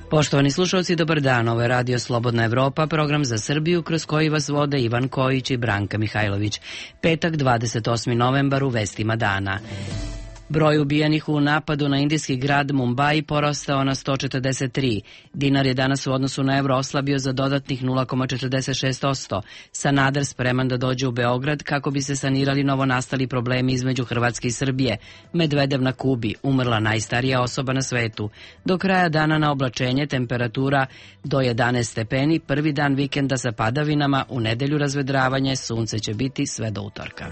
Poštovani slušalci, dobar dan. Ovo je Radio Slobodna Evropa, program za Srbiju kroz koji vas vode Ivan Kojić i Branka Mihajlović. Petak, 28. novembar, u vestima dana. Broj ubijenih u napadu na indijski grad Mumbai porastao na 143. Dinar je danas u odnosu na evro oslabio za dodatnih 0,46%. Sanader spreman da dođe u Beograd kako bi se sanirali novonastali problemi između Hrvatske i Srbije. Medvedev na Kubi, umrla najstarija osoba na svetu. Do kraja dana na oblačenje, temperatura do 11 stepeni, prvi dan vikenda sa padavinama, u nedelju razvedravanje, sunce će biti sve do utorka.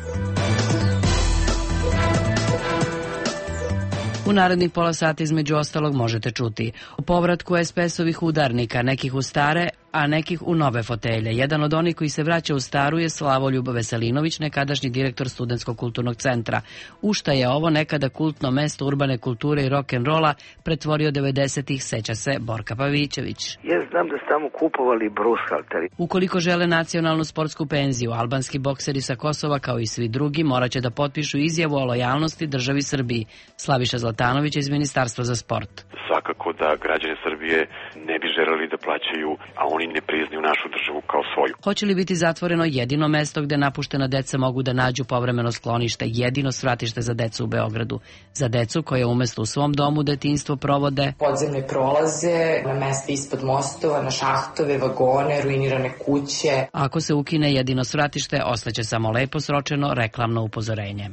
U narednih pola sata između ostalog možete čuti o povratku SPS-ovih udarnika, nekih u stare, a nekih u nove fotelje. Jedan od onih koji se vraća u staru je Slavoljub Veselinović, nekadašnji direktor Studentskog kulturnog centra. U šta je ovo nekada kultno mesto urbane kulture i rock'n'rolla pretvorio 90-ih, seća se Borka Pavićević. Ja znam da ste tamo kupovali brushalteri. Ukoliko žele nacionalnu sportsku penziju, albanski bokseri sa Kosova, kao i svi drugi, moraće da potpišu izjavu o lojalnosti državi Srbiji. Slaviša Zlatanović iz Ministarstva za sport. Svakako da građani Srbije ne bi želeli da plaćaju, a oni ne priznaju našu državu kao svoju. Hoće li biti zatvoreno jedino mesto gde napuštena deca mogu da nađu povremeno sklonište, jedino svratište za decu u Beogradu? Za decu koje umesto u svom domu detinjstvo provode podzemne prolaze, na mesta ispod mostova, na šahtove, vagone, ruinirane kuće. Ako se ukine jedino svratište, ostaće samo lepo sročeno reklamno upozorenje.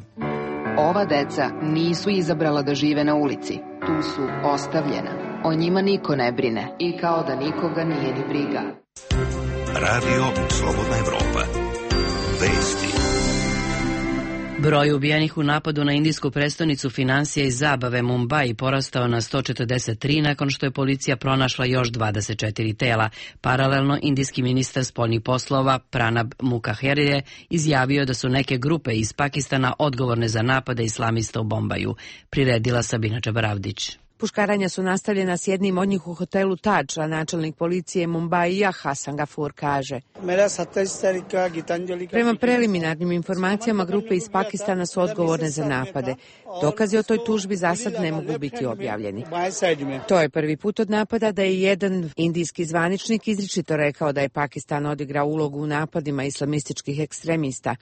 Ova deca nisu izabrala da žive na ulici. Tu su ostavljena. O njima niko ne brine i kao da nikoga nije ni briga. Radio Slobodna Evropa. Vesti. Broj ubijenih u napadu na indijsku prestonicu finansija i zabave Mumbai porastao na 143 nakon što je policija pronašla još 24 tela. Paralelno, indijski ministar spoljnih poslova Pranab Mukherjee je izjavio da su neke grupe iz Pakistana odgovorne za napade islamista u Bombaju. Priredila Sabina Čabaravdić. Puškaranja su nastavljena s jednim od njih u hotelu Taj, a načelnik policije Mumbaija Hasan Gafur kaže. Prema preliminarnim informacijama, grupe iz Pakistana su odgovorne za napade. Dokazi o toj tužbi za sad ne mogu biti objavljeni. To je prvi put od napada da je jedan indijski zvaničnik izričito rekao da je Pakistan odigrao ulogu u napadima islamističkih ekstremista.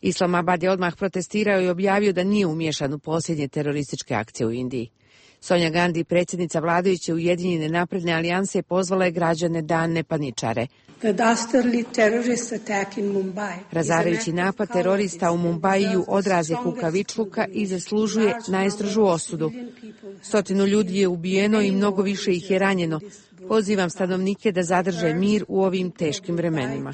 Islamabad je odmah protestirao i objavio da nije umiješan u posljednje terorističke akcije u Indiji. Sonja Gandhi, predsjednica vladajuće Ujedinjene napredne alijanse, pozvala je građane da ne paničare. Razarajući napad terorista u Mumbaiju odraz je kukavičluka i zaslužuje najstrožu osudu. 100 ljudi je ubijeno i mnogo više ih je ranjeno. Pozivam stanovnike da zadrže mir u ovim teškim vremenima.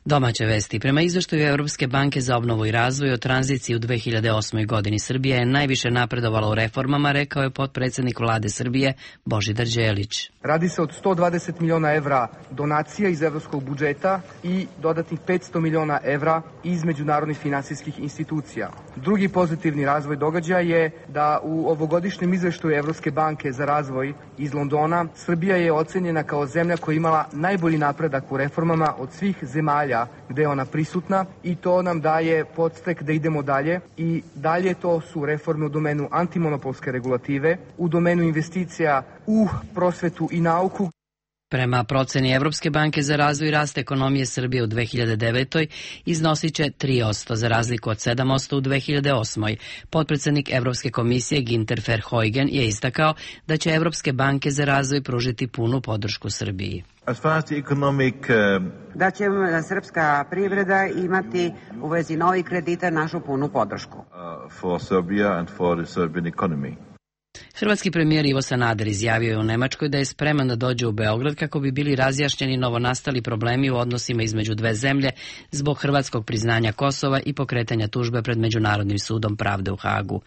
Domaće vesti. Prema izveštaju Evropske banke za obnovu i razvoj o tranziciji u 2008. godini, Srbija je najviše napredovala u reformama, rekao je potpredsjednik vlade Srbije Božidar Đelić. Radi se od 120 miliona evra donacija iz evropskog budžeta i dodatnih 500 miliona evra iz međunarodnih finansijskih institucija. Drugi pozitivni razvoj događaja je da u ovogodišnjem izveštaju Evropske banke za razvoj iz Londona Srbija je ocenjena kao zemlja koja je imala najbolji napredak u reformama od svih zemalja gde je ona prisutna i to nam daje podstek da idemo dalje i dalje to su reforme u domenu antimonopolske regulative, u domenu investicija u prosvetu i nauku. Prema proceni Evropske banke za razvoj i rast ekonomije Srbije u 2009. iznosit će 3%, za razliku od 7% u 2008. Potpredsjednik Evropske komisije Ginter Verheugen je istakao da će Evropske banke za razvoj pružiti punu podršku Srbiji. Da će srpska privreda imati u vezi novih kredita našu punu podršku. Hrvatski premijer Ivo Sanader izjavio je u Nemačkoj da je spreman da dođe u Beograd kako bi bili razjašnjeni novonastali problemi u odnosima između dve zemlje zbog hrvatskog priznanja Kosova i pokretanja tužbe pred Međunarodnim sudom pravde u Hagu.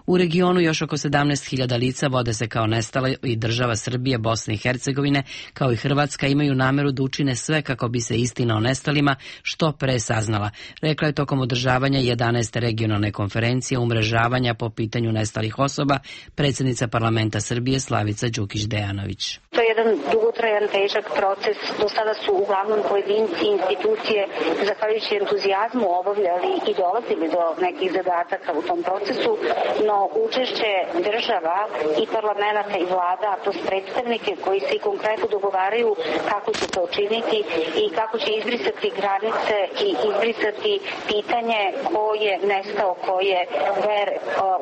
U regionu još oko 17.000 lica vode se kao nestale i država Srbije, Bosne i Hercegovine kao i Hrvatska imaju nameru da učine sve kako bi se istina o nestalima što pre saznala, rekla je tokom održavanja 11. regionalne konferencije umrežavanja po pitanju nestalih osoba predsjednica potpredsednica parlamenta Srbije Slavica Đukić-Dejanović. To je jedan dugotrajan, težak proces. Do sada su uglavnom pojedinci i institucije, zahvaljujući entuzijazmu, obavljali i dolazili do nekih zadataka u tom procesu, no učešće država i parlamenta i vlada, plus predstavnike koji se i konkretno dogovaraju kako će to učiniti i kako će izbrisati granice i izbrisati pitanje ko je nestao, ko je ver.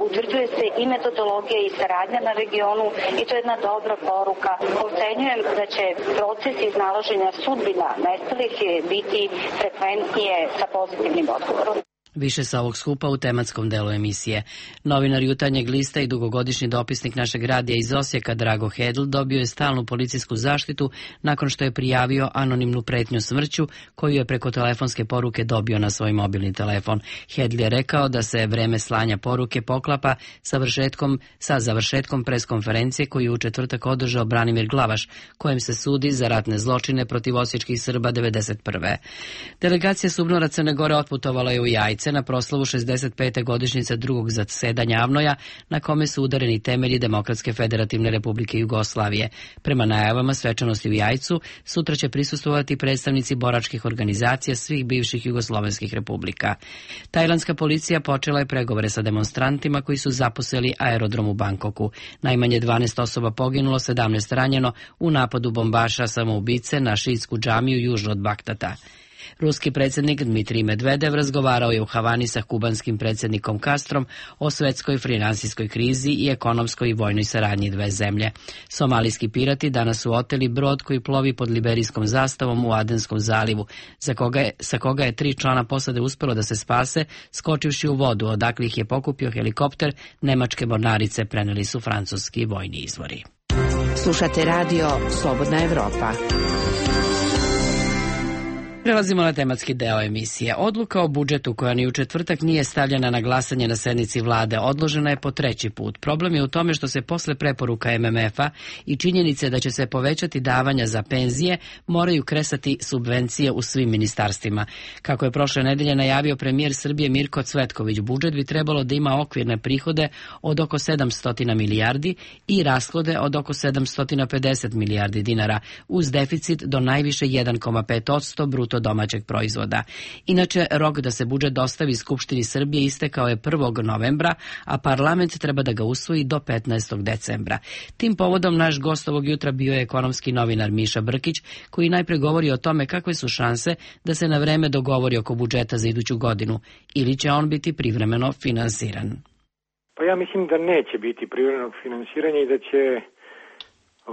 Utvrđuje se i metodologija i saradnja na regionu i to je jedna dobra poruka. Ocenjujem da će proces iznalaženja sudbina nestalih biti frekventnije sa pozitivnim odgovorom. Više sa ovog skupa u tematskom delu emisije. Novinar Jutarnjeg lista i dugogodišnji dopisnik našeg radija iz Osijeka Drago Hedl dobio je stalnu policijsku zaštitu nakon što je prijavio anonimnu pretnju smrću koju je preko telefonske poruke dobio na svoj mobilni telefon. Hedl je rekao da se vreme slanja poruke poklapa sa završetkom preskonferencije koju je u četvrtak održao Branimir Glavaš, kojem se sudi za ratne zločine protiv osječkih Srba 1991. Delegacija SUBNOR-a Crne Gore otputovala je u Jajce na proslavu 65. godišnjice drugog zasedanja AVNOJ-a na kome su udareni temelji Demokratske federativne republike Jugoslavije. Prema najavama svečanosti u Jajcu sutra će prisustvovati predstavnici boračkih organizacija svih bivših jugoslovenskih republika. Tajlandska policija počela je pregovore sa demonstrantima koji su zaposeli aerodrom u Bangkoku. Najmanje 12 osoba poginulo, 17 ranjeno u napadu bombaša samoubice na šiitsku džamiju južno od Bagdada. Ruski predsjednik Dmitrij Medvedev razgovarao je u Havani sa kubanskim predsjednikom Castrom o svetskoj finansijskoj krizi i ekonomskoj i vojnoj saradnji dve zemlje. Somalijski pirati danas su oteli brod koji plovi pod liberijskom zastavom u Adenskom zalivu, sa koga je 3 člana posade uspelo da se spase, skočivši u vodu, odakle ih je pokupio helikopter nemačke mornarice, preneli su francuski vojni izvori. Slušate radio Slobodna Evropa. Prelazimo na tematski deo emisije. Odluka o budžetu koja ni u četvrtak nije stavljena na glasanje na sednici vlade odložena je po 3. put. Problem je u tome što se posle preporuka MMF-a i činjenice da će se povećati davanja za penzije moraju kresati subvencije u svim ministarstvima. Kako je prošle nedelje najavio premijer Srbije Mirko Cvetković, budžet bi trebalo da ima okvirne prihode od oko 700 milijardi i rashode od oko 750 milijardi dinara, uz deficit do najviše 1,5% bruto domaćeg proizvoda. Inače, rok da se budžet dostavi Skupštini Srbije istekao je 1. novembra, a parlament treba da ga usvoji do 15. decembra. Tim povodom naš gost ovog jutra bio je ekonomski novinar Miša Brkić, koji najpre govori o tome kakve su šanse da se na vreme dogovori oko budžeta za iduću godinu, ili će on biti privremeno finansiran. Pa ja mislim da neće biti privremenog finansiranja i da će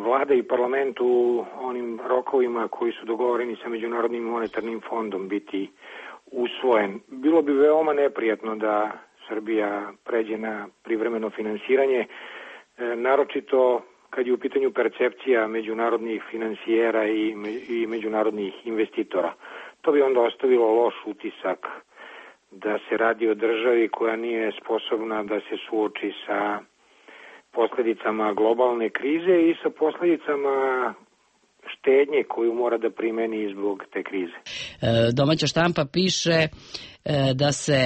Vlada i parlament u onim rokovima koji su dogovoreni sa Međunarodnim monetarnim fondom biti usvojen. Bilo bi veoma neprijatno da Srbija pređe na privremeno finansiranje, naročito kad je u pitanju percepcija međunarodnih finansijera i međunarodnih investitora. To bi onda ostavilo loš utisak da se radi o državi koja nije sposobna da se suoči sa posledicama globalne krize i sa posledicama štednje koju mora da primeni zbog te krize. Domaća štampa piše da se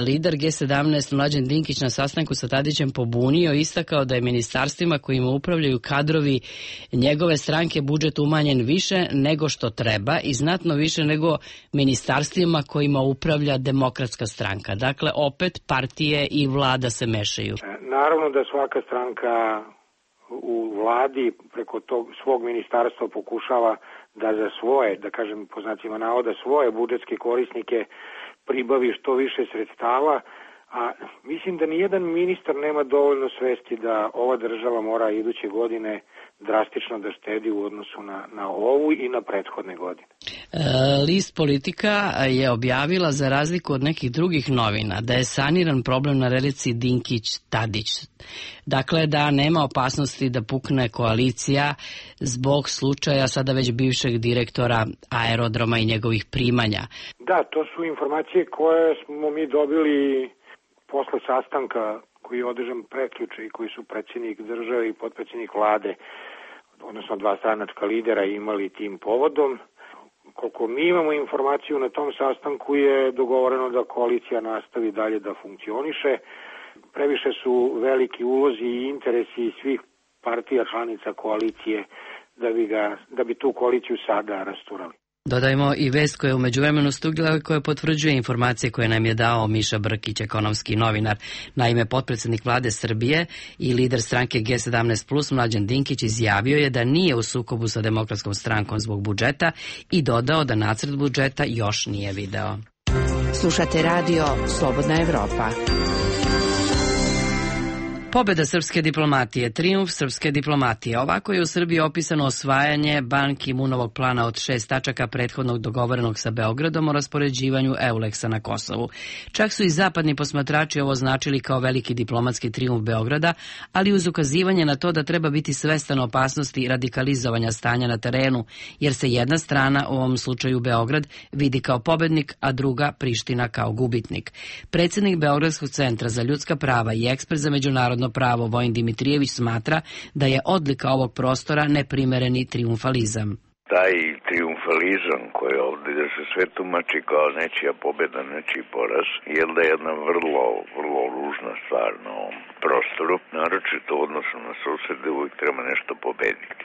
lider G17 Mlađan Dinkić na sastanku sa Tadićem pobunio i istakao da je ministarstvima kojima upravljaju kadrovi njegove stranke budžet umanjen više nego što treba i znatno više nego ministarstvima kojima upravlja Demokratska stranka. Dakle, opet partije i vlada se mešaju. Naravno da svaka stranka u vladi preko tog svog ministarstva pokušava da za svoje, da kažem po znacima navoda, svoje budžetske korisnike pribavi što više sredstava, a mislim da nijedan ministar nema dovoljno svesti da ova država mora iduće godine drastično da štedi u odnosu na ovu i na prethodne godine. List Politika je objavila, za razliku od nekih drugih novina, da je saniran problem na relaciji Dinkić-Tadić. Dakle, da nema opasnosti da pukne koalicija zbog slučaja sada već bivšeg direktora aerodroma i njegovih primanja. Da, to su informacije koje smo mi dobili posle sastanka koji je održan prekjuče i koji su predsjednik države i potpredsjednik vlade, odnosno 2 stranačka lidera imali tim povodom. Koliko mi imamo informaciju na tom sastanku je dogovoreno da koalicija nastavi dalje da funkcioniše Previše su veliki ulozi i interesi svih partija članica koalicije da bi tu koaliciju sada rasturali. Dodajmo i vest koja je u međuvremenu stigla koja potvrđuje informacije koje nam je dao Miša Brkić, ekonomski novinar. Naime, potpredsjednik vlade Srbije i lider stranke G17+, Mlađan Dinkić, izjavio je da nije u sukobu sa Demokratskom strankom zbog budžeta i dodao da nacrt budžeta još nije video. Slušate radio Slobodna Evropa. Pobeda srpske diplomatije, trijumf srpske diplomatije. Ovako je u Srbiji opisano osvajanje Ban Ki-moonovog plana od 6 tačaka prethodnog dogovorenog sa Beogradom o raspoređivanju EULEX-a na Kosovu. Čak su i zapadni posmatrači ovo označili kao veliki diplomatski trijumf Beograda, ali uz ukazivanje na to da treba biti svestan opasnosti radikalizovanja stanja na terenu, jer se jedna strana, u ovom slučaju Beograd, vidi kao pobednik, a druga Priština kao gubitnik. Predsjednik Beogradskog centra za ljudska prava i ekspert za međunarodno pravo Vojin Dimitrijević smatra da je odlika ovog prostora neprimereni trijumfalizam. Taj trijumfalizam koji ovdje da se sve tumači kao nečija pobjeda, nečiji poraz, je da je jedna vrlo ružna stvar na ovom prostoru, naročito u odnosu na susede, uvijek treba nešto pobediti.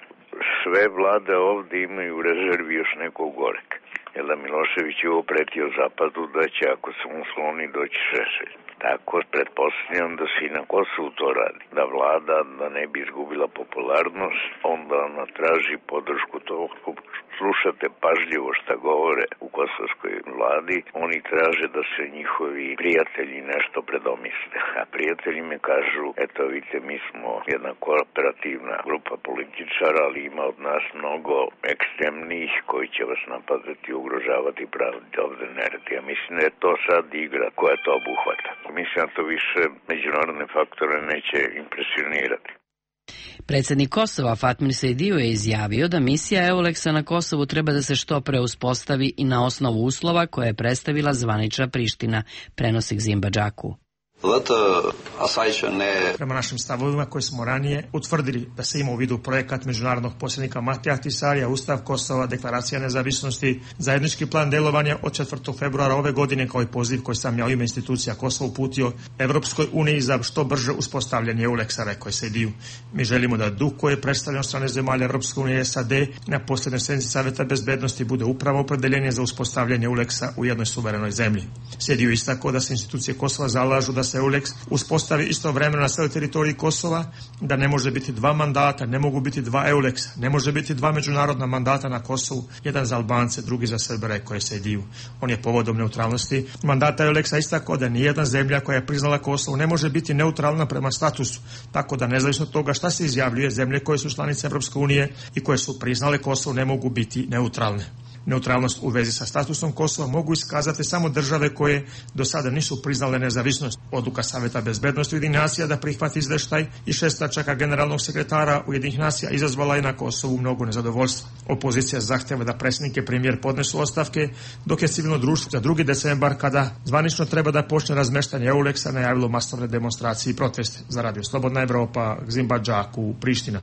Sve vlade ovdje imaju u rezervi još nekog goreka. Jer da Milošević je opretio Zapadu da će, ako se on skloni, doći Šešelj. Tako pretpostavljam da se i na Kosovu to radi. Da vlada, da ne bi izgubila popularnost, onda ona traži podršku tog. Slušate pažljivo šta govore u kosovskoj vladi, oni traže da se njihovi prijatelji nešto predomisle. A prijatelji me kažu, eto vidite, mi smo jedna kooperativna grupa političara, ali ima od nas mnogo ekstremnih koji će vas napadati i ugrožavati praviti ovde nered. Ja mislim da je to sad igra koja to obuhvata. Mislim da to više međunarodne faktore neće impresionirati. Predsjednik Kosova Fatmir Sejdiu je izjavio da misija EULEX-a na Kosovu treba da se što pre uspostavi i na osnovu uslova koje je predstavila zvanična Priština, prenosi Gzimba Džaku. Prema našim stavovima koje smo ranije utvrdili da se ima u vidu projekat međunarodnog posrednika Matija Ahtisarija, Ustav Kosova, Deklaracija nezavisnosti, zajednički plan delovanja od 4. februara ove godine kao i poziv koji sam ja u ime institucija Kosova uputio Evropskoj uniji za što brže uspostavljanje EULEX-a, rekao je Sejdiu. Mi želimo da duh koji je predstavljen od strane zemalja Evropske unije i SAD na posljednoj sednici Saveta bezbednosti bude upravo opredeljenje za uspostavljanje EULEX-a u jednoj suverenoj zemlji. Sejdiu istakao da se institucije Kosova zalažu da se EULEX uspostavi istovremeno na celoj teritoriji Kosova, da ne može biti dva mandata, ne mogu biti dva EULEX-a, ne može biti dva međunarodna mandata na Kosovu, jedan za Albance, drugi za Srbe, rekao je Sejdiu. On je povodom neutralnosti mandata EULEX-a istakao da nijedna zemlja koja je priznala Kosovo ne može biti neutralna prema statusu, tako da nezavisno od toga šta se izjavljuje, zemlje koje su članice Evropske unije i koje su priznale Kosovo ne mogu biti neutralne. Neutralnost u vezi sa statusom Kosova mogu iskazati samo države koje do sada nisu priznale nezavisnost. Odluka Saveta bezbednosti Ujedinjenih nacija da prihvati izveštaj i 6 tačaka generalnog sekretara Ujedinjenih nacija izazvala je na Kosovu mnogo nezadovoljstva. Opozicija zahteva da predsjednik i premijer podnesu ostavke, dok je civilno društvo za 2. decembar, kada zvanično treba da počne razmeštanje EULEX-a, najavilo masovne demonstracije i proteste. Za Radio Slobodna Evropa, Gzimba Džaku, Priština.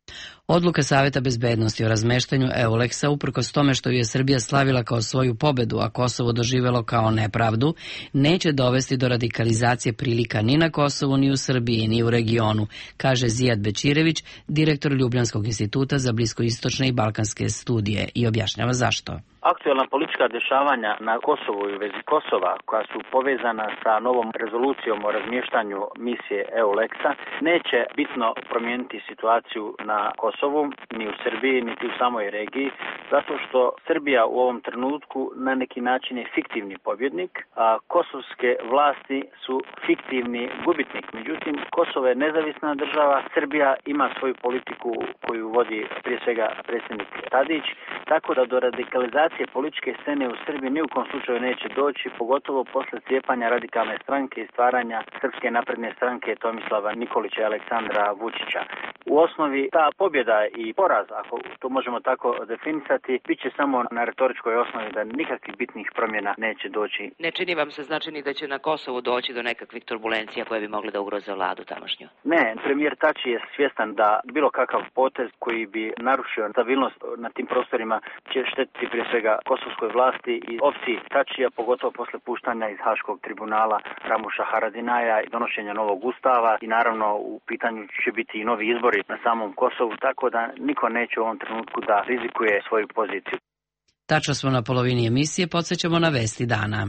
Odluka Saveta bezbednosti o razmeštanju EULEX-a, uprkos tome što je Srbija slavila kao svoju pobedu, a Kosovo doživelo kao nepravdu, neće dovesti do radikalizacije prilika ni na Kosovu, ni u Srbiji, ni u regionu, kaže Zijad Bečirević, direktor Ljubljanskog instituta za bliskoistočne i balkanske studije, i objašnjava zašto. Aktuelna politička dešavanja na Kosovu i u vezi Kosova, koja su povezana sa novom rezolucijom o razmještanju misije EULEX-a, neće bitno promijeniti situaciju na Kosovu, ni u Srbiji, niti u samoj regiji, zato što Srbija u ovom trenutku na neki način je fiktivni pobjednik, a kosovske vlasti su fiktivni gubitnik. Međutim, Kosovo je nezavisna država, Srbija ima svoju politiku koju vodi prije svega predsjednik Tadić, tako da do radikalizacije političke scene u Srbiji ni u kom slučaju neće doći, pogotovo posle cijepanja radikalne stranke i stvaranja Srpske napredne stranke Tomislava Nikolića i Aleksandra Vučića. U osnovi ta pobjeda i poraz, ako to možemo tako definisati, bit će samo na retoričkoj osnovi da nikakvih bitnih promjena neće doći. Ne čini vam se znači ni da će na Kosovu doći do nekakvih turbulencija koje bi mogle da ugroze vladu tamošnju? Ne, premijer Tači je svjestan da bilo kakav potez koji bi narušio stabilnost na tim prostorima će štetiti prije svega kosovskoj vlasti i opciji Tačija, pogotovo posle puštanja iz Haškog tribunala Ramuša Haradinaja i donošenja novog ustava i naravno u pitanju će biti i novi izbori na samom Kosovu, tako da niko neće u ovom trenutku da rizikuje svoju poziciju. Tačno smo na polovini emisije, podsjećamo na vesti dana.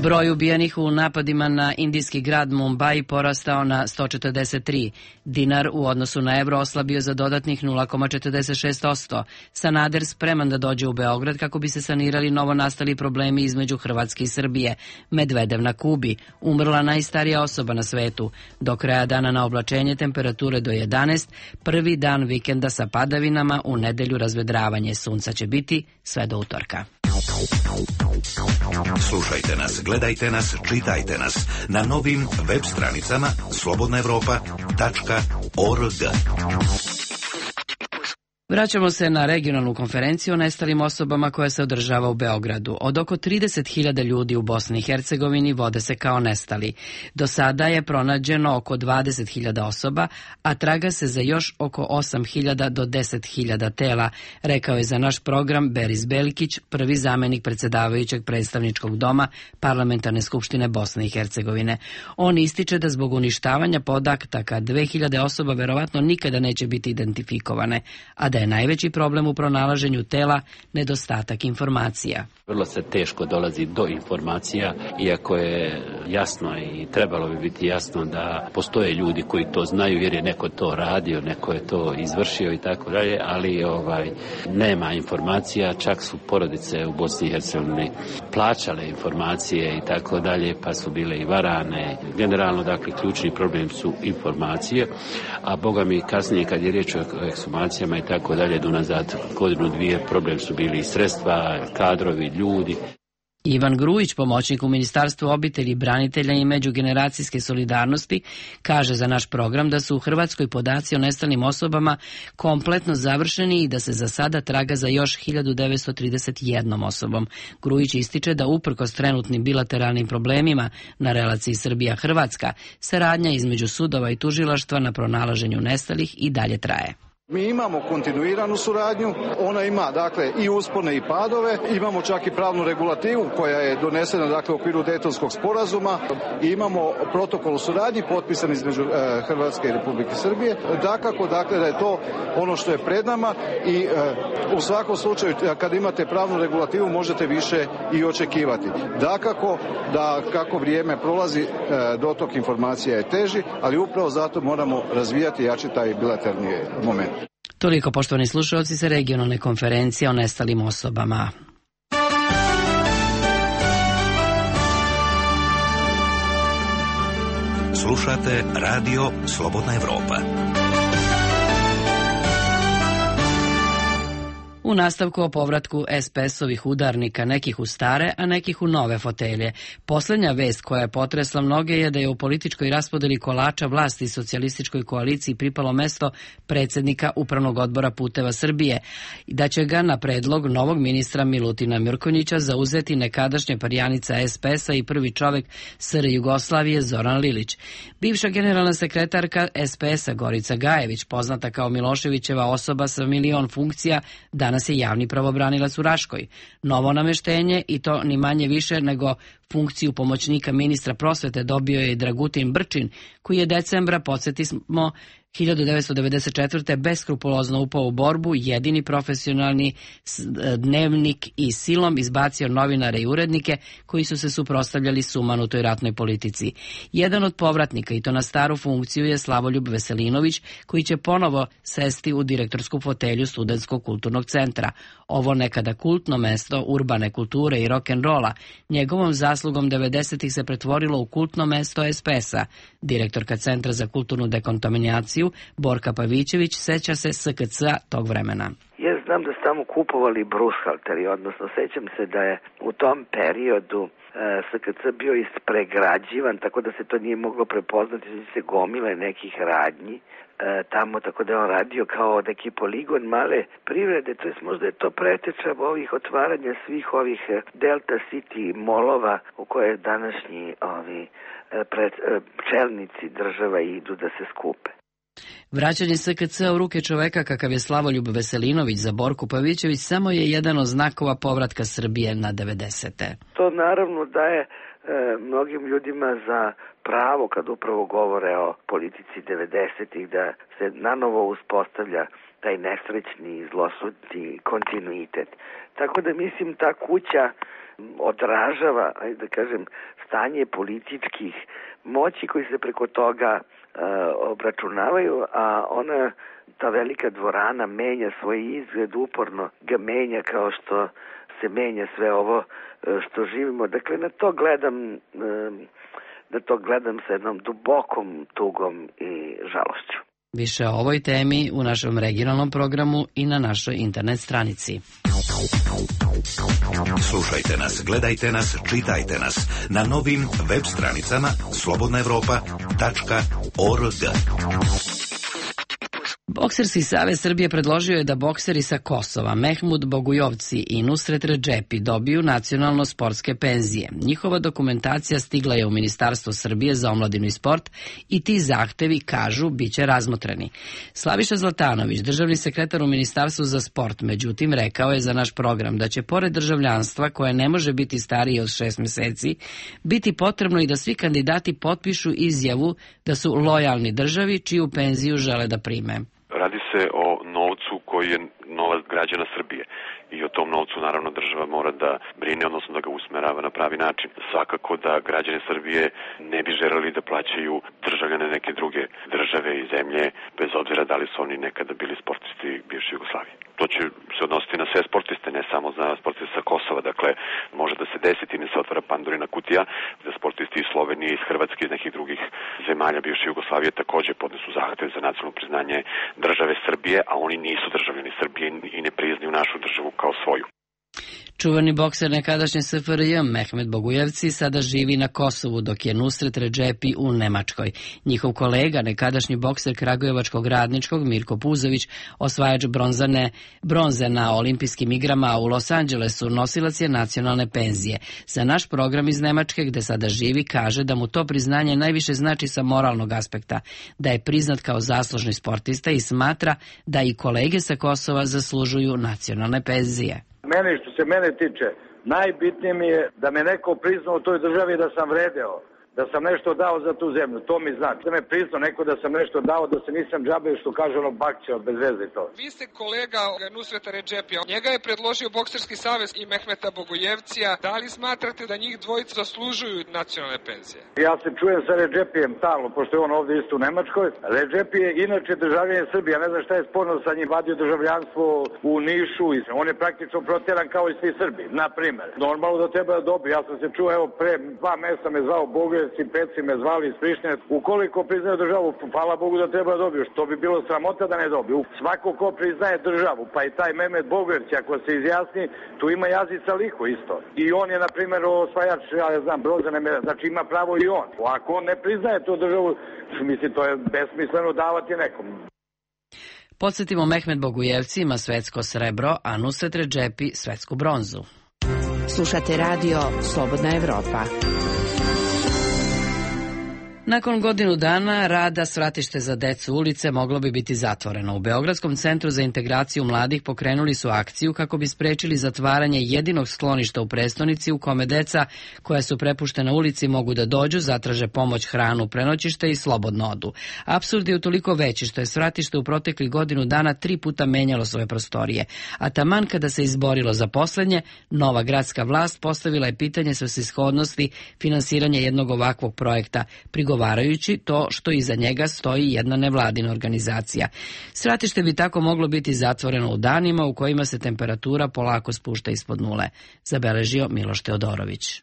Broj ubijenih u napadima na indijski grad Mumbai porastao na 143. Dinar u odnosu na evro oslabio za dodatnih 0,46%. Sanader spreman da dođe u Beograd kako bi se sanirali novonastali problemi između Hrvatske i Srbije. Medvedev na Kubi, umrla najstarija osoba na svetu. Do kraja dana na oblačenje, temperature do 11, prvi dan vikenda sa padavinama, u nedelju razvedravanje. Sunca će biti sve do utorka. Slušajte nas, gledajte nas, čitajte nas na novim web stranicama slobodnaevropa.org. Vraćamo se na regionalnu konferenciju o nestalim osobama koja se održava u Beogradu. Od oko 30.000 ljudi u Bosni i Hercegovini vode se kao nestali. Do sada je pronađeno oko 20.000 osoba, a traga se za još oko 8.000 do 10.000 tela, rekao je za naš program Beris Belkić, prvi zamenik predsedavajućeg predstavničkog doma Parlamentarne skupštine Bosne i Hercegovine. On ističe da zbog uništavanja podataka 2.000 osoba verovatno nikada neće biti identifikovane, a da je najveći problem u pronalaženju tela nedostatak informacija. Vrlo se teško dolazi do informacija, iako je jasno i trebalo bi biti jasno da postoje ljudi koji to znaju jer je neko to radio, neko je to izvršio i tako dalje, ali nema informacija, čak su porodice u Bosni i Hercegovini plaćale informacije i tako dalje, pa su bile i varane. Generalno, dakle, ključni problem su informacije, a boga mi kasnije kad je riječ o ekshumacijama i tako dalje, do nazad godinu dvije, problem su bili i sredstva, kadrovi, ljudi. Ivan Grujić, pomoćnik u Ministarstvu obitelji, branitelja i međugeneracijske solidarnosti, kaže za naš program da su u Hrvatskoj podaci o nestalim osobama kompletno završeni i da se za sada traga za još 1931 osobom. Grujić ističe da uprkos trenutnim bilateralnim problemima na relaciji Srbija-Hrvatska, saradnja između sudova i tužilaštva na pronalaženju nestalih i dalje traje. Mi imamo kontinuiranu suradnju, ona ima dakle i uspone i padove, imamo čak i pravnu regulativu koja je donesena dakle u okviru Dejtonskog sporazuma, imamo protokol o suradnji potpisan između Hrvatske i Republike Srbije. Dakako dakle da je to ono što je pred nama i u svakom slučaju kad imate pravnu regulativu možete više i očekivati. Dakako da kako vrijeme prolazi dotok informacija je teži, ali upravo zato moramo razvijati i jačiti taj bilateralni moment. Toliko, poštovani slušalci, sa regionalne konferencije o nestalim osobama. Slušate Radio Slobodna Evropa. U nastavku o povratku SPS-ovih udarnika, nekih u stare, a nekih u nove fotelje. Poslednja vest koja je potresla mnoge je da je u političkoj raspodeli kolača vlasti socijalističkoj koaliciji pripalo mesto predsednika Upravnog odbora Puteva Srbije i da će ga na predlog novog ministra Milutina Mrkonjića zauzeti nekadašnja perjanica SPS-a i prvi čovek SR Jugoslavije Zoran Lilić. Bivša generalna sekretarka SPS-a Gorica Gajević, poznata kao Miloševićeva osoba sa milion funkcija, danas je javni pravobranilac u Raškoj. Novo nameštenje, i to ni manje više nego funkciju pomoćnika ministra prosvete, dobio je Dragutin Brčin, koji je decembra, podsjetimo, 1994. beskrupulozno upao u borbu, jedini profesionalni dnevnik i silom izbacio novinare i urednike koji su se suprotstavljali sumanutoj ratnoj politici. Jedan od povratnika, i to na staru funkciju, je Slavoljub Veselinović, koji će ponovo sesti u direktorsku fotelju Studentskog kulturnog centra. Ovo nekada kultno mesto urbane kulture i rock'n'rolla njegovom zaslugom 90-ih se pretvorilo u kultno mesto SPS-a. Direktorka Centra za kulturnu dekontaminaciju Borka Pavićević seća se SKC-a tog vremena. Ja znam da su tamo kupovali brushalteri, odnosno sećam se da je u tom periodu SKC bio ispregrađivan, tako da se to nije moglo prepoznati, da se gomile nekih radnji tamo, tako da je on radio kao neki poligon male privrede, to jest možda je to preteča ovih otvaranja svih ovih Delta City molova u koje današnji čelnici država idu da se skupe. Vraćanje SKC u ruke čoveka kakav je Slavoljub Veselinović za Borku Pavićević samo je jedan od znakova povratka Srbije na 90. To naravno daje mnogim ljudima za pravo kad upravo govore o politici 90-ih da se nanovo uspostavlja taj nesrećni i zlosudni kontinuitet. Tako da mislim ta kuća odražava, ajde da kažem, stanje političkih moći koji se preko toga obračunavaju, a ona, ta velika dvorana menja svoj izgled, uporno ga menja kao što se menja sve ovo što živimo. Dakle, na to gledam sa jednom dubokom tugom i žalošću. Više o ovoj temi u našem regionalnom programu i na našoj internet stranici. Slušajte nas, gledajte nas, čitajte nas na novim web stranicama slobodnaevropa.org. Bokserski savez Srbije predložio je da bokseri sa Kosova, Mehmud Bogujovci i Nusret Redžepi dobiju nacionalno sportske penzije. Njihova dokumentacija stigla je u Ministarstvo Srbije za omladinu i sport i ti zahtevi, kažu, bit će razmotreni. Slaviša Zlatanović, državni sekretar u Ministarstvu za sport, međutim, rekao je za naš program da će pored državljanstva, koje ne može biti starije od 6 meseci, biti potrebno i da svi kandidati potpišu izjavu da su lojalni državi čiju penziju žele da prime. Radi se o novcu koji je novac građana Srbije i o tom novcu naravno država mora da brine, odnosno da ga usmerava na pravi način. Svakako da građani Srbije ne bi želeli da plaćaju državljane neke druge države i zemlje, bez obzira da li su oni nekada bili sportisti bivše Jugoslavije. To će se odnositi na sve sportiste, ne samo na sportiste sa Kosova. Dakle, može da se desiti, ne se otvara Pandorina kutija, da sportisti iz Slovenije, iz Hrvatske, iz nekih drugih zemalja bivše Jugoslavije takođe podnesu zahtev za nacionalno priznanje države Srbije, a oni nisu državljani Srbije i ne priznaju našu državu kao svoju. Čuvani bokser nekadašnje SFRJ Mehmed Bogujevci sada živi na Kosovu, dok je Nusret Redžepi u Nemačkoj. Njihov kolega, nekadašnji bokser kragujevačkog Radničkog Mirko Puzović, osvajač bronze na olimpijskim igrama u Los Angelesu, nosilac je nacionalne penzije. Za naš program iz Nemačke, gde sada živi, kaže da mu to priznanje najviše znači sa moralnog aspekta, da je priznat kao zaslužni sportista i smatra da i kolege sa Kosova zaslužuju nacionalne penzije. Meni, što se mene tiče, najbitnije mi je da me neko priznao u toj državi da sam vredeo, da sam nešto dao za tu zemlju, to mi znači. Da me priznao neko da sam nešto dao, da se nisam džabe, što kaže ono bakćeo, bez veze to. Vi ste kolega Nusreta Redžepija, njega je predložio Bokserski savez i Mehmeta Bogujevcija. Da li smatrate da njih dvojica zaslužuju nacionalne penzije? Ja se čujem sa Redžepijem stalno, pošto je on ovdje isto u Nemačkoj. Redžepi je inače državljanin Srbije, ja ne znam šta je sporno sa njim, vadio državljanstvo u Nišu, on je praktično protjeran kao i svi Srbi, na primer. Normalno da treba da dobije, ja sam se čuo, evo, pre 2 mjeseca me zvao Bogujevci, peci me zvali iz Prištine. Ukoliko priznaju državu, hvala Bogu da treba da dobiju, što bi bilo sramota da ne dobiju. Svako ko priznaje državu, pa i taj Mehmet Bogujevć, ako se izjasni, tu ima Jazica Liho isto. I on je, na primjer, osvajač, ja ne znam, bronzane medalje, znači ima pravo i on. Ako on ne priznaje tu državu, mislim, to je besmisleno davati nekom. Podsjetimo, Mehmet Bogujevci ima svetsko srebro, a Nusret Redžepi svetsku bronzu. Slušate radio Slobodna Evropa. Nakon godinu dana rada svratište za decu ulice moglo bi biti zatvoreno. U Beogradskom centru za integraciju mladih pokrenuli su akciju kako bi sprečili zatvaranje jedinog skloništa u prestonici u kome deca koja su prepuštena ulici mogu da dođu, zatraže pomoć, hranu, prenoćište i slobodno odu. Apsurd je utoliko veći što je svratište u proteklih godinu dana 3 puta menjalo svoje prostorije, a taman kada se izborilo za poslednje, nova gradska vlast postavila je pitanje svrsishodnosti finansiranja jednog ovakvog projekta, prigovarajući to što iza njega stoji jedna nevladina organizacija. Svratište bi tako moglo biti zatvoreno u danima u kojima se temperatura polako spušta ispod nule, zabeležio Miloš Teodorović.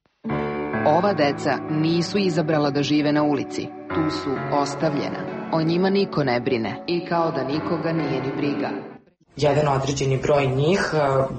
Ova deca nisu izabrala da žive na ulici, tu su ostavljena. O njima niko ne brine i kao da nikoga nije ni briga. jedan određeni broj njih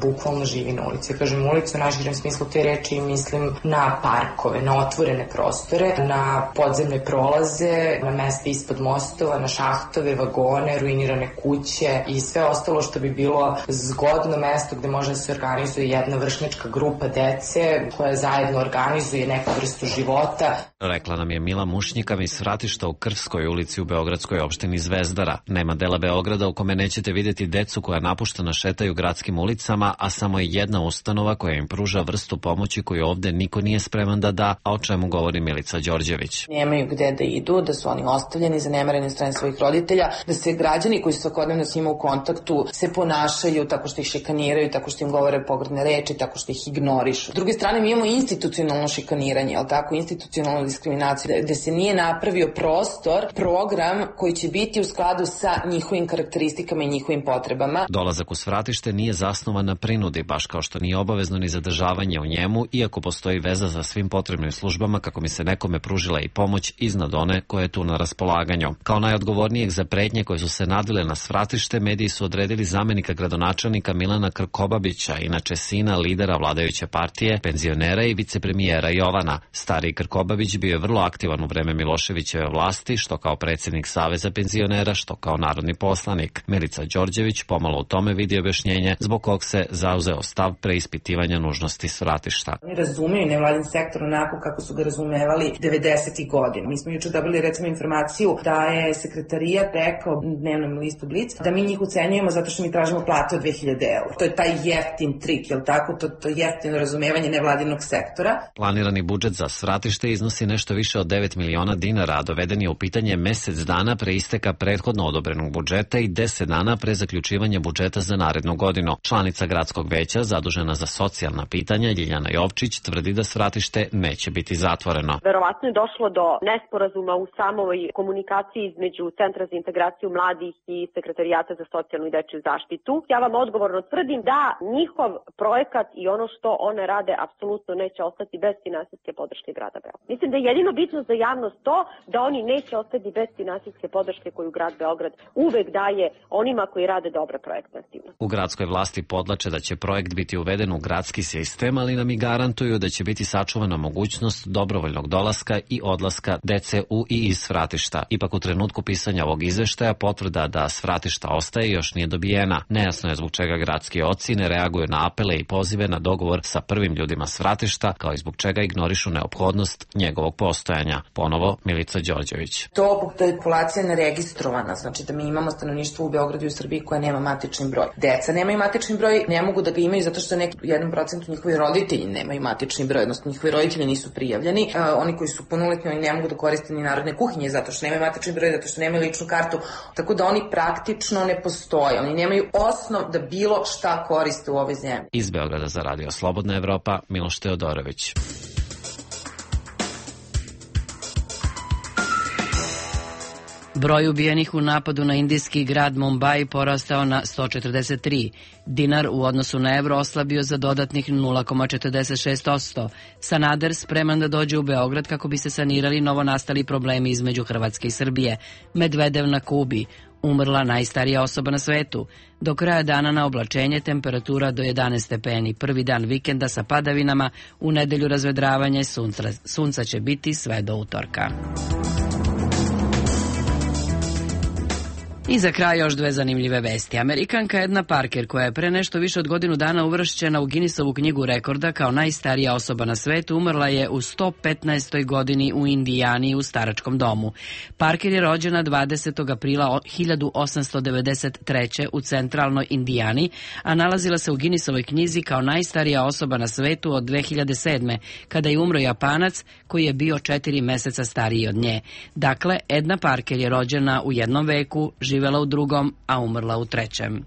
bukvalno živi na ulici. Kažem ulicu u najširem smislu te reči i mislim na parkove, na otvorene prostore, na podzemne prolaze, na mesta ispod mostova, na šahtove, vagone, ruinirane kuće i sve ostalo što bi bilo zgodno mesto gde može da se organizuje jedna vršnjačka grupa dece koja zajedno organizuje neku vrstu života. Rekla nam je Mila Mušnjika iz Svratišta u Krvskoj ulici u beogradskoj opštini Zvezdara. Nema dela Beograda u kome nećete vidjeti decu koja napuštena šetaju gradskim ulicama, a samo je jedna ustanova koja im pruža vrstu pomoći koju ovde niko nije spreman da da, a o čemu govori Milica Đorđević. Nemaju gde da idu, da su oni ostavljeni, zanemareni od strane svojih roditelja, da se građani koji su svakodnevno s njima u kontaktu se ponašaju tako što ih šikaniraju, tako što im govore pogrdne reči, tako što ih ignorišu. S druge strane, mi imamo institucionalno šikaniranje, ali tako, institucionalnu diskriminaciju, gde se nije napravio prostor, program koji će biti u skladu sa njihovim karakteristikama i njihovim potrebama. Dolazak u Svratište nije zasnovan na prinudi, baš kao što nije obavezno ni zadržavanje u njemu, iako postoji veza za svim potrebnim službama kako mi se nekome pružila i pomoć iznad one koje je tu na raspolaganju. Kao najodgovornijeg za pretnje koje su se nadvile na Svratište, mediji su odredili zamenika gradonačelnika Milana Krkobabića, inače sina lidera vladajuće partije, penzionera i vicepremijera Jovana. Stari Krkobabić bio je vrlo aktivan u vreme Miloševićeve vlasti, što kao predsjednik Saveza penzionera, što kao narodni poslanik. Milica Đorđević pomalo u tome vidi objašnjenje zbog kog se zauzeo stav preispitivanja nužnosti Svratišta. Oni razumiju nevladin sektor onako kako su ga razumevali 90. godina. Mi smo juče dobili recimo informaciju da je sekretarijat rekao dnevnom listu Blic da mi njih ucenjujemo zato što mi tražimo plate od 2000 €. To je taj jeftin trik, jel tako? To jeftino razumevanje nevladinog sektora. Planirani budžet za Svratište iznosi nešto više od 9 miliona dinara, a doveden je u pitanje mesec dana pre isteka prethodno odobrenog budžeta i 10 dana pre zaključivanja budžeta za narednu godinu. Članica gradskog veća zadužena za socijalna pitanja Ljiljana Jovčić tvrdi da Svratište neće biti zatvoreno. Verovatno je došlo do nesporazuma u samoj komunikaciji između Centra za integraciju mladih i Sekretarijata za socijalnu i dečiju zaštitu. Ja vam odgovorno tvrdim da njihov projekat i ono što one rade apsolutno neće ostati bez finansijske podrške grada Beograda. Mislim da je jedino bitno za javnost to da oni neće ostati bez finansijske podrške koju grad Beograd uvek daje onima koji rade dobre projektne aktivnosti. U gradskoj vlasti podlače da će projekt biti uveden u gradski sistem, ali nam i garantuju da će biti sačuvana mogućnost dobrovoljnog dolaska i odlaska dece u i iz Svratišta. Ipak u trenutku pisanja ovog izveštaja potvrda da Svratišta ostaje još nije dobijena. Nejasno je zbog čega gradski oci ne reaguju na apele i pozive na dogovor sa prvim ljudima Svratišta, kao i zbog čega ignorišu neophodnost njegovog postojanja. Ponovo Milica Đorđević. To da je populacija neregistrovana, znači da mi imamo stanovništvo u Beogradu i u Srbiji koja nema matični broj. Deca nemaju matični broj, ne mogu da ga imaju zato što neki 1% njihovi roditelji nemaju matični broj, odnosno njihovi roditelji nisu prijavljeni. Oni koji su punoletni, oni ne mogu da koriste ni narodne kuhinje zato što nemaju matični broj, zato što nemaju ličnu kartu, tako da oni praktično ne postoje. Oni nemaju osnov da bilo šta koriste u ovoj zemlji. Iz Beograda za Radio Slobodna Evropa, Miloš Teodorović. Broj ubijenih u napadu na indijski grad Mumbai porastao na 143. Dinar u odnosu na evro oslabio za dodatnih 0,46%. Sanader spreman da dođe u Beograd kako bi se sanirali novonastali problemi između Hrvatske i Srbije. Medvedev na Kubi. Umrla najstarija osoba na svetu. Do kraja dana na oblačenje temperatura do 11 stepeni. Prvi dan vikenda sa padavinama, u nedelju razvedravanje sunca će biti sve do utorka. I za kraj još dve zanimljive vesti. Amerikanka Edna Parker, koja je pre nešto više od godinu dana uvršćena u Guinnessovu knjigu rekorda kao najstarija osoba na svetu, umrla je u 115. godini u Indijani u staračkom domu. Parker je rođena 20. aprila 1893. u centralnoj Indijani, a nalazila se u Guinnessovoj knjizi kao najstarija osoba na svetu od 2007. kada je umro Japanac koji je bio 4 meseca stariji od nje. Dakle, Edna Parker je rođena u jednom veku, živela u drugom, a umrla u trećem.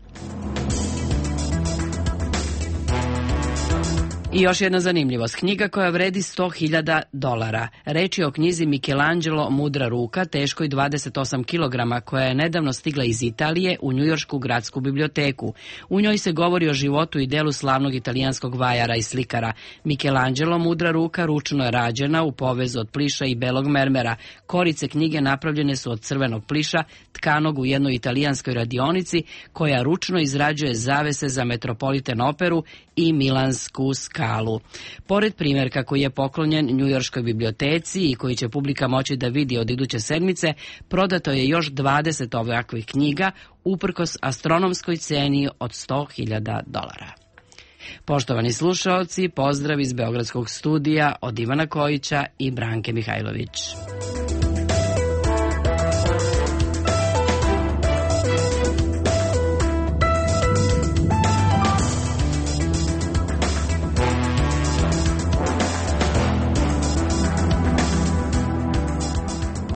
I još jedna zanimljivost. Knjiga koja vredi $100.000. Reč je o knjizi Michelangelo Mudra ruka, teškoj 28 kg, koja je nedavno stigla iz Italije u Njujoršku gradsku biblioteku. U njoj se govori o životu i delu slavnog italijanskog vajara i slikara. Michelangelo Mudra ruka ručno je rađena u povezu od pliša i belog mermera. Korice knjige napravljene su od crvenog pliša, tkanog u jednoj italijanskoj radionici, koja ručno izrađuje zavese za Metropolitan operu i Milansku skalu. Pored primjerka koji je poklonjen Njujorškoj biblioteci i koji će publika moći da vidi od iduće sedmice, prodato je još 20 ovakvih knjiga, uprkos astronomskoj ceni od $100.000. Poštovani slušaoci, pozdrav iz Beogradskog studija od Ivana Kojića i Branke Mihajlović.